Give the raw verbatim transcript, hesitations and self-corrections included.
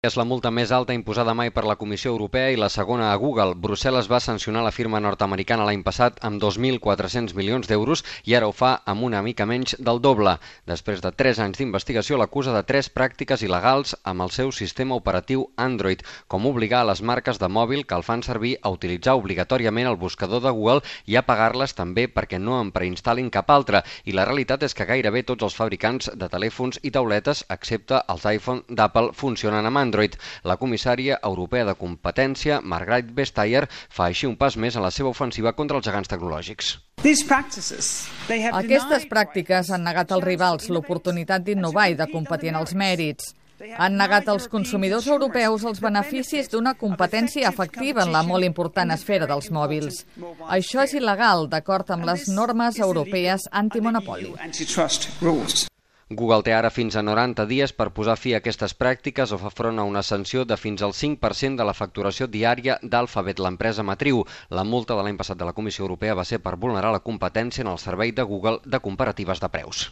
És la multa més alta imposada mai per la Comissió Europea i la segona a Google. Brussel·les va sancionar la firma nord-americana l'any passat amb dos mil quatre-cents milions d'euros i ara ho fa amb una mica menys del doble. Després de tres anys d'investigació, l'acusa de tres pràctiques il·legals amb el seu sistema operatiu Android, com obligar a les marques de mòbil que el fan servir a utilitzar obligatòriament el buscador de Google i a pagar-les també perquè no en preinstal·lin cap altre. I la realitat és que gairebé tots els fabricants de telèfons i tauletes, excepte els iPhone d'Apple, funcionen amb Android. Android. La comissària europea de competència, Margrethe Vestager, fa així un pas més en la seva ofensiva contra els gegants tecnològics. Aquestes pràctiques han negat als rivals l'oportunitat d'innovar i de competir en els mèrits. Han negat als consumidors europeus els beneficis d'una competència efectiva en la molt important esfera dels mòbils. Això és il·legal, d'acord amb les normes europees antimonopoli. Google té ara fins a noranta dies per posar fi a aquestes pràctiques o fa front a una sanció de fins al cinc per cent de la facturació diària d'Alphabet, l'empresa matriu. La multa de l'any passat de la Comissió Europea va ser per vulnerar la competència en el servei de Google de comparatives de preus.